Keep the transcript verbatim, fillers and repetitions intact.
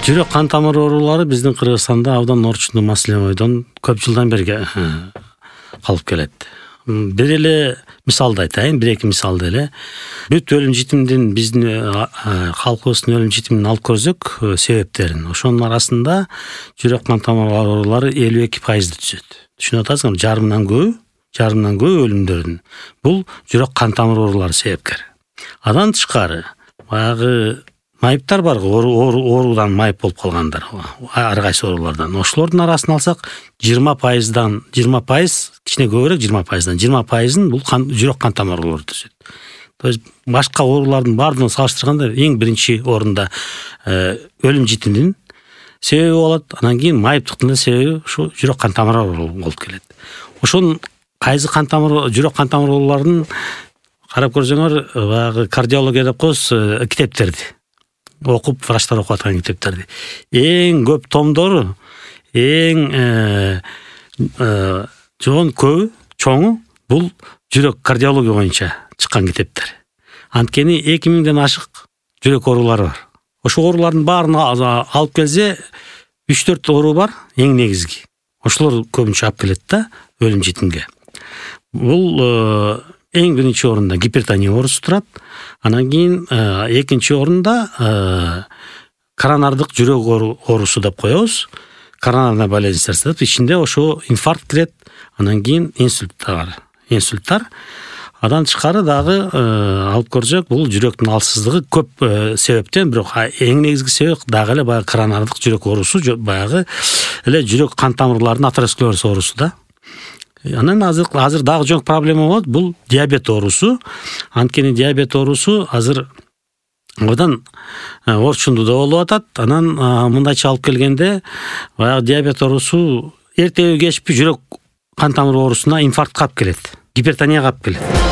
Жүрөк кан тамыр оорулары биздин Кыргызстанда абдан орчундуу маселе бойдон көп жылдан бери калып келет. Бир эле мисалды айтайын, бир эки мисалды эле. Бүт өлүм житимдин биздин калкыбыздын өлүм житимин алып көрсөк, себептерин, ошонун арасында жүрөк кан тамыр оорулары элүү эки пайызды түзөт. Түшүнүп атасызбы? Жарымдан көбү, жарымдан көбү өлүмдөрдүн бул жүрөк кан тамыр оорулары себепкер. Андан тышкары, баягы майыптар бар, оорудан майып болуп калгандар, ар кайсы оорулардан. Ошолордун арасын алсак, жыйырма пайыздан, жыйырма пайыз, кичине көбүрөөк жыйырма пайыздан, жыйырма пайызын бул жүрөк кан тамыр оорулары түзөт. То есть башка оорулардын баардыгын салыштырганда эң биринчи орунда өлүм житимдин себеби болот, анан кийин майыптыктын да себеби ушу жүрөк кан тамыр оорулары болуп келет. Ошонун кайсы кан тамыр, жүрөк кан тамыр ооруларынын карап көрсөңөр, баягы кардиология деп коебуз, китептерди окуп, врачтар окуп аткан китептерди. Эң көп томдору, эң жоон көбү, чоңу бул жүрөк кардиология боюнча чыккан китептер. Анткени эки миңден ашык жүрөк оорулары бар. Ошол оорулардын баарын алып келсе, үч төрт оору бар, эң негизги. Ошолор көбүнчө алып келет да өлүм житимге. Бул эң биринчи орунда гипертония оорусу турат. Анан кийин экинчи орунда коронардык жүрөк оорусу деп коебуз. Коронарная болезнь сердца. Ичинде ошо инфаркт кирет, анан кийин инсульттар. Инсульттар. Андан тышкары дагы алып көрсөк, бул жүрөктүн алсыздыгы көп себептен, бирок эң негизги себеп дагы эле баягы коронардык жүрөк оорусу, баягы эле жүрөк кан тамырларынын атеросклероз оорусу да. Анан азыр азыр дагы жоң проблема болот, бул диабет оорусу. Анткени диабет оорусу азыр абдан орчундуу да болуп атат. Анан мындайча алып келгенде, баягы диабет оорусу эртеби кечпи жүрөк кан тамыр оорусуна, инфарктка алып келет, гипертонияга алып келет.